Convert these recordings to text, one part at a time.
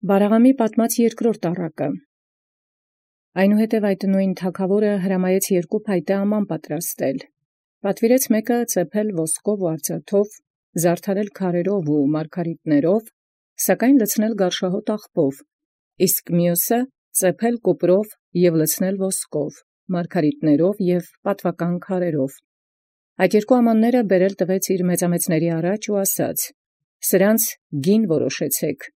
Վարաղամի պատմած երկրորդ առակը։ Այնուհետև այդ նույն թագաւորը հրամայեց երկու փայտե աման պատրաստել. պատվիրեց մեկը ծեփել ոսկով ու արծաթով, զարդարել քարերով ու մարգարիտներով, սակայն լցնել գարշահոտ աղբով, իսկ մյուսը ծեփել կուպրով և լցնել ոսկով, մարգարիտներով և պատվական քարերով։ Այդ երկու ամանները բերել տվեց իր մեծամեծացն առաջ ու ասաց. «Սրանց գին որոշեցէք»։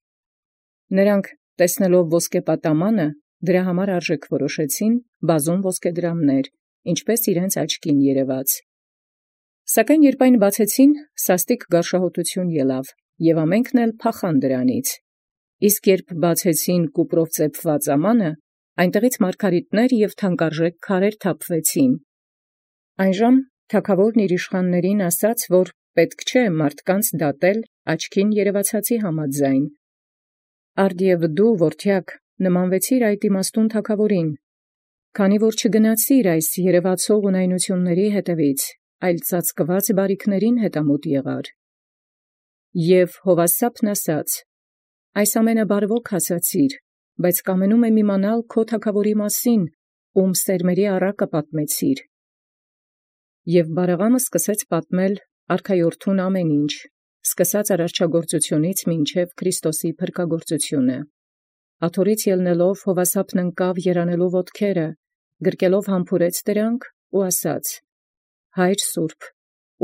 Նրանք տեսնելով ոսկեպատամանը, դրա համար արժեք որոշեցին բազում ոսկեդրամներ, ինչպես իրենց աչքին երևաց։ Սակայն երբ այն բացեցին, սաստիկ գարշահոտություն ելավ, և ամենքն էլ փախան դրանից։ Իսկ երբ բացեցին կուպրով ծեփված ամանը, այնտեղից մարգարիտներ և թանկարժեք քարեր թափվեցին։ Այնժամ թագաւորն իր իշխաններին ասաց, որ պետք չէ մարդկանց դատել աչքին երևացածի համաձայն։ Արդ և դու, որդեակ, նմանվեցիր այդ իմաստուն թագաւորին, քանի որ չգնացիր այս երևացող ունայնութիւնների հետևից, այլ ծածկված բարիքներին հետամուտ եղար։ Եւ Հովասապն ասաց. «Այս ամենը բարվոք ասացիր, բայց կամենում եմ իմանալ քո թագաւորի մասին, ում սերմերի առակը պատմեցիր»։ Եւ Վարաղամը սկսեց պատմել արքայորդուն ամեն ինչ, սկսած արարչագործությունից մինչև Քրիստոսի փրկագործությունը։ Աթոռից ելնելով Հովասապն ընկավ երանելու ոտքերը, գրկելով համբուրեց դրանք ու ասաց. «Հայր սուրբ,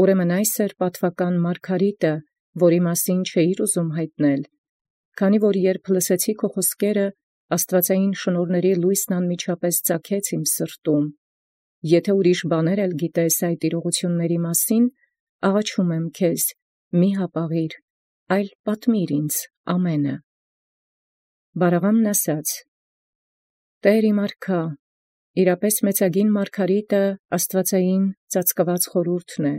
ուրեմն այս էր պատվական մարգարիտը, որի մասին չէիր ուզում հայտնել, քանի որ երբ լսեցի քո խոսքերը, աստուածային շնորհների լույսն անմիջապես ծագեց իմ սրտում։ Եթե ուրիշ բաներ էլ գիտես այդ իրողությունների մասին, աղաչում եմ քեզ, մի հապաղիր, այլ պատմիր ինձ ամենը»։ Վարաղամն ասաց. «Տէր իմ արքա, իրապես մեծագին մարգարիտը աստուածային ծածկված խորհուրդն է,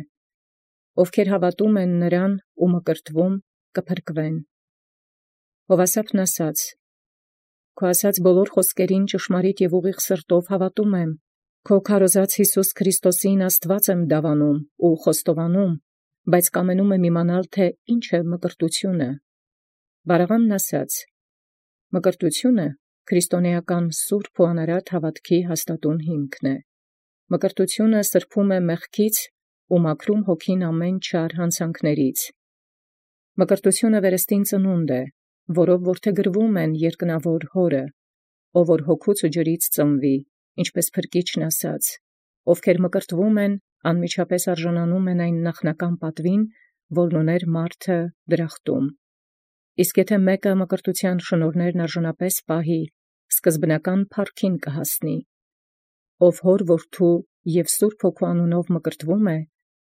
ովքեր հավատում են նրան ու մկրտվում կփրկվեն»։ Հովասապն ասաց. «Քո ասած բոլոր խոսքերին ճշմարիտ և ուղիղ սրտով հավատում եմ, քո քարոզած Յիսուս Քրիստոսին Աստուած եմ դավանում ու խոստովանում, բայց կամենում եմ իմանալ, թե ինչ է մկրտությունը»։ Վարաղամն ասաց. «Մկրտությունը քրիստոնեական սուրբ ու անարատ հավատքի հաստատուն հիմքն է։ Մկրտությունը սրբում է մեղքից ու մաքրում հոգին ամեն չար հանցանքներից։ Մկրտությունը վերստին ծնունդ է, որով որդեգրվում են երկնավոր Հորը, ով որ հոգուց ու ջրից ծնվի, ինչպես Փրկիչն ասաց, ովքեր մկրտվում են, անմիջապես արժանանում են այն նախնական պատվին, որն ուներ մարդը դրախտում։ Իսկ եթե մեկը մկրտության շնորհներն արժանապես պահի, սկզբնական փառքին կհասնի։ Ով հոր որդու և Սուրբ Հոգու անունով մկրտվում է,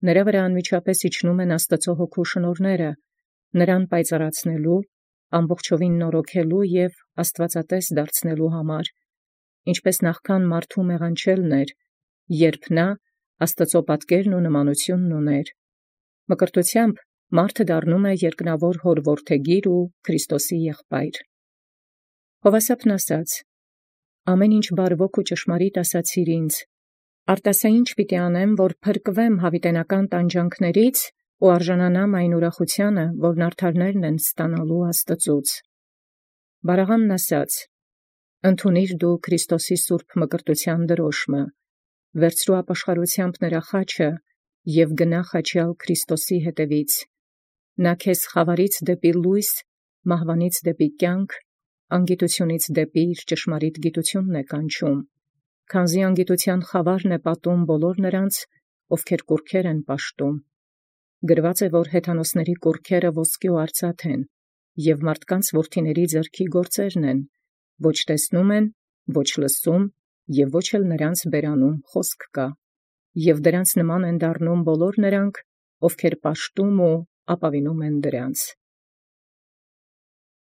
նրա վրա անմիջապես իջնում են Աստծո Հոգու շնորհները, նրան պայծառացնելու, ամբողջովին նորոգելու և աստվածատես դարձնելու համար, ինչպես նախքան մարդու մեղանչելն էր, երբ նա Աստծո պատկերն ու նմանութիւնն ուներ։ Մկրտությամբ մարդը դառնում է երկնավոր Հոր որդեգիր ու Քրիստոսի եղբայր։ Հովասապն ասաց. «Ամեն ինչ բարվոք ու ճշմարիտ ասացիր ինձ, արտասա ինչ պիտի անեմ, որ փրկվեմ յաւիտենական տանջանքներից ու արժանանամ այն ուրախութեանը, որն արդարներն են ստանալու Աստծուց»։ Վարաղամն ասաց. «Ընդունիր դու Քրիստոսի սուրբ մկրտութեան դրոշմը, վերցրու ապաշխարութեամբ նրա խաչը և գնա խաչյալ Քրիստոսի հետևից։ Նա քեզ խավարից դեպի լույս, մահվանից դեպի կյանք, անգիտությունից դեպի իր ճշմարիտ գիտությունն է կանչում, քանզի անգիտության խավարն է պատում բոլոր նրանց, ովքեր կուռքեր են պաշտում։ Գրված է, որ հեթանոսների կուռքերը ոսկի ու արծաթ են, և մարդկանց որդիների ձեռքի գործերն են, ոչ տեսնում են, ոչ լսում, և ոչ էլ նրանց բերանում խոսք կա, և դրանց նման են դառնում բոլոր նրանք, ովքեր պաշտում ու ապավինում են դրանց»։